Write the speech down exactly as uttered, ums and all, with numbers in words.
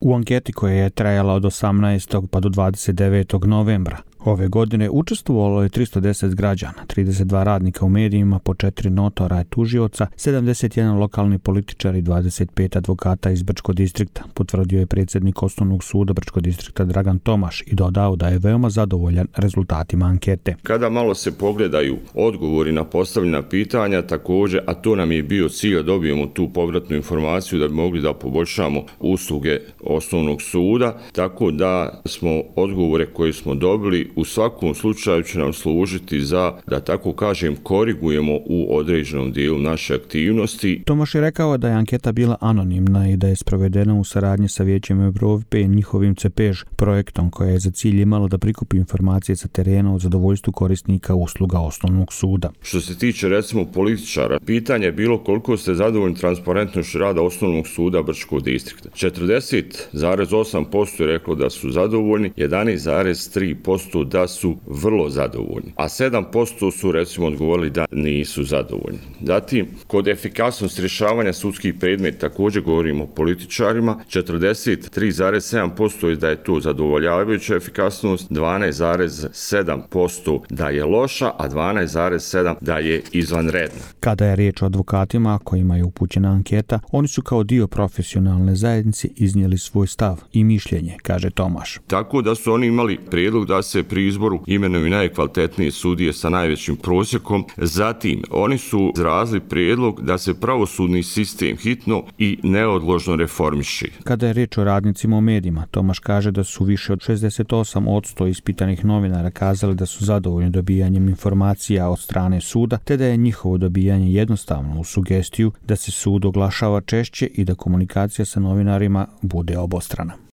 U anketi koja je trajala od osamnaestog pa do dvadeset devetog novembra ove godine učestvovalo je tristo deset građana, trideset dva radnika u medijima, po četiri notora i tužioca, sedamdeset jedan lokalni političar i dvadeset pet advokata iz Brčkog distrikta, potvrdio je predsjednik Osnovnog suda Brčkog distrikta Dragan Tomaš i dodao da je veoma zadovoljan rezultatima ankete. Kada malo se pogledaju odgovori na postavljena pitanja, također, a to nam je bio cilj da dobijemo tu povratnu informaciju da bi mogli da poboljšamo usluge Osnovnog suda, tako da smo odgovore koje smo dobili u svakom slučaju će nam služiti za, da tako kažem, korigujemo u određenom dijelu naše aktivnosti. Tomaš je rekao da je anketa bila anonimna i da je sprovedena u saradnji sa Vijećem Evrope i njihovim CEPEŽ projektom koja je za cilj imala da prikupi informacije sa terena o zadovoljstvu korisnika usluga Osnovnog suda. Što se tiče recimo političara, pitanje je bilo koliko ste zadovoljni transparentnošću rada Osnovnog suda Brčkog distrikta. četrdeset zarez osam posto je reklo da su zadovoljni, jedanaest zarez tri posto da su vrlo zadovoljni, a sedam posto su recimo odgovorili da nisu zadovoljni. Zatim, kod efikasnosti rješavanja sudskih predmeta također govorimo o političarima, četrdeset tri zarez sedam posto je da je to zadovoljavajuća efikasnost, dvanaest zarez sedam posto da je loša, a dvanaest zarez sedam posto da je izvanredna. Kada je riječ o advokatima kojima je upućena anketa, oni su kao dio profesionalne zajednice iznijeli svoj stav i mišljenje, kaže Tomaš. Tako da su oni imali prijedlog da se pri izboru imenuju najkvalitetnije sudije sa najvećim prosjekom. Zatim, oni su izrazili prijedlog da se pravosudni sistem hitno i neodložno reformiši. Kada je riječ o radnicima u medijima, Tomaš kaže da su više od šezdeset osam posto ispitanih novinara kazali da su zadovoljni dobijanjem informacija od strane suda, te da je njihovo dobijanje jednostavno uz sugestiju da se sud oglašava češće i da komunikacija sa novinarima bude obostrana.